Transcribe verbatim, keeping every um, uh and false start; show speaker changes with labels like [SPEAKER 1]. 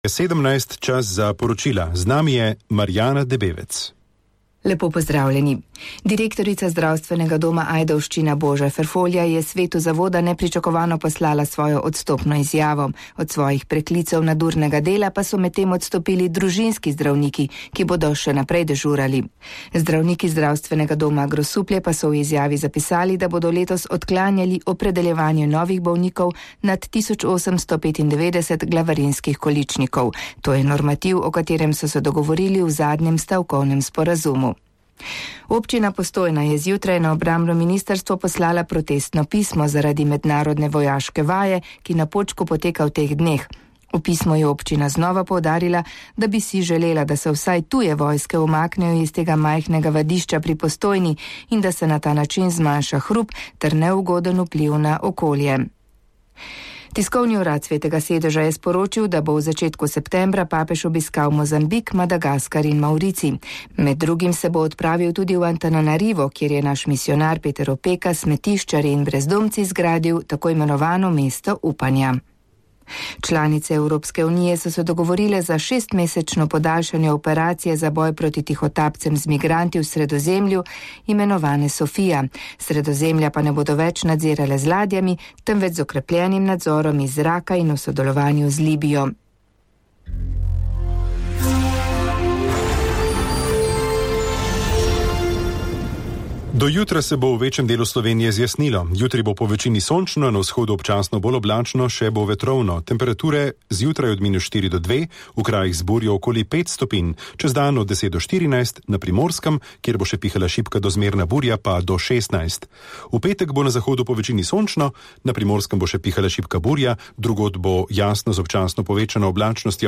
[SPEAKER 1] sedemnajst čas za poročila. Z nami je Marjana Debevec.
[SPEAKER 2] Lepo pozdravljeni. Direktorica zdravstvenega doma Ajdovščina Boža Ferfolja je svetu zavoda nepričakovano poslala svojo odstopno izjavo. Od svojih preklicev nadurnega dela pa so medtem odstopili družinski zdravniki, ki bodo še naprej dežurali. Zdravniki zdravstvenega doma Grosuplje pa so v izjavi zapisali, da bodo letos odklanjali opredeljevanje novih bolnikov nad tisoč osemsto petindevetdeset glavarinskih količnikov. To je normativ, o katerem so se dogovorili v zadnjem stavkovnem sporazumu. Občina Postojna je zjutraj na obrambno ministrstvo poslala protestno pismo zaradi mednarodne vojaške vaje, ki na Počku poteka v teh dneh. V pismu je občina znova poudarila, da bi si želela, da se vsaj tuje vojske umaknejo iz tega majhnega vadišča pri Postojni in da se na ta način zmanjša hrup ter neugoden vpliv na okolje. Tiskovni urad Svetega sedeža je sporočil, da bo v začetku septembra papež obiskal Mozambik, Madagaskar in Maurici. Med drugim se bo odpravil tudi v Antananarivo, kjer je naš misionar Peter Opeka smetiščarji in brezdomci zgradil tako imenovano mesto upanja. Članice Evropske unije so se dogovorile za šestmesečno podaljšanje operacije za boj proti tihotapcem z migranti v Sredozemlju, imenovane Sofija. Sredozemlja pa ne bodo več nadzirale z ladjami, temveč z okrepljenim nadzorom iz zraka in v sodelovanju z Libijo.
[SPEAKER 1] Do jutra se bo v večjem delu Slovenije zjasnilo. Jutri bo po večini sončno, na vzhodu občasno bolj oblačno, še bo vetrovno. Temperature zjutraj od minus štiri do dve, v krajih z burjo okoli pet stopinj, čez dan od deset do štirinajst, na Primorskem, kjer bo še pihala šibka do zmerna burja, pa do šestnajst. V petek bo na zahodu po večini sončno, na Primorskem bo še pihala šibka burja, drugod bo jasno z občasno povečano oblačnostjo.